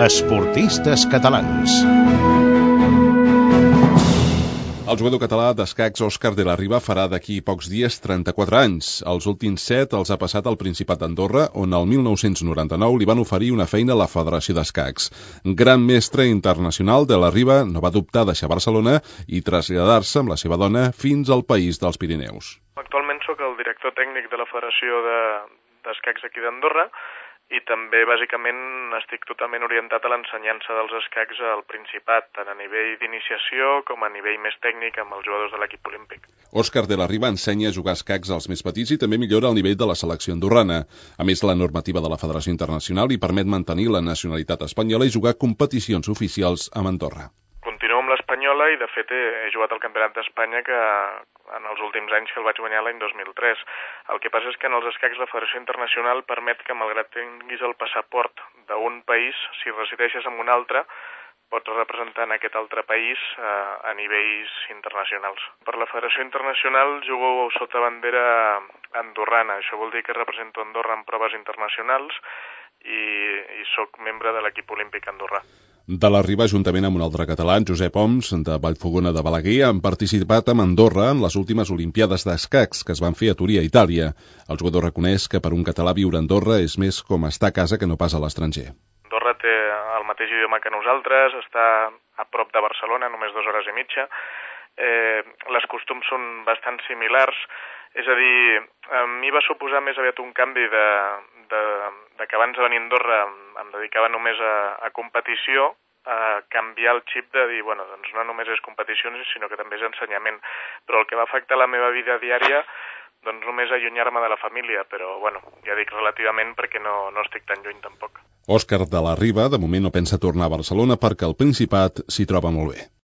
Esportistes catalans. El jugador català d'escacs Òscar de la Riva farà d'aquí pocs dies 34 anys. Els últims 7 els ha passat al Principat d'Andorra, on el 1999 li van oferir una feina a la Federació d'Escacs. Gran mestre internacional, de la Riva no va dubtar deixar Barcelona i traslladar-se amb la seva dona fins al país dels Pirineus. Actualment sóc el director tècnic de la Federació d'Escacs aquí d'Andorra i també, bàsicament, estic totalment orientat a l'ensenyança dels escacs al Principat, tant a nivell d'iniciació com a nivell més tècnic amb els jugadors de l'equip olímpic. Òscar de la Riva ensenya a jugar escacs als més petits i també millora el nivell de la selecció andorrana. A més, la normativa de la Federació Internacional li permet mantenir la nacionalitat espanyola i jugar competicions oficials amb Andorra. Continuo amb l'espanyola i, de fet, he jugat al Campionat d'Espanya que en els últims anys que el vaig guanyar l'any 2003. El que passa és que en els escacs la Federació Internacional permet que, malgrat tinguis el passaport d'un país, si resideixes en un altre, pots representar en aquest altre país a nivells internacionals. Per la Federació Internacional jugo sota bandera andorrana. Això vol dir que represento Andorra en proves internacionals i sóc membre de l'equip olímpic andorrà. De la Riva, juntament amb un altre català, Josep Oms, de Vallfogona de Balaguer, han participat amb Andorra en les últimes Olimpiades d'escacs que es van fer a Turí, a Itàlia. El jugador reconeix que per un català viure a Andorra és més com estar a casa que no pas a l'estranger. Andorra té el mateix idioma que nosaltres, està a prop de Barcelona, només 2 hores i mitja. Les costums són bastant similars, és a dir, a mi va suposar més aviat un canvi de que abans de venir a Andorra em dedicava només a competició, a canviar el xip de dir, bueno, doncs no només és competicions, sinó que també és ensenyament. Però el que va afectar la meva vida diària, doncs només allunyar-me de la família, però, bueno, ja dic relativament perquè no estic tan lluny tampoc. Òscar de la Riva, de moment, no pensa tornar a Barcelona perquè el Principat s'hi troba molt bé.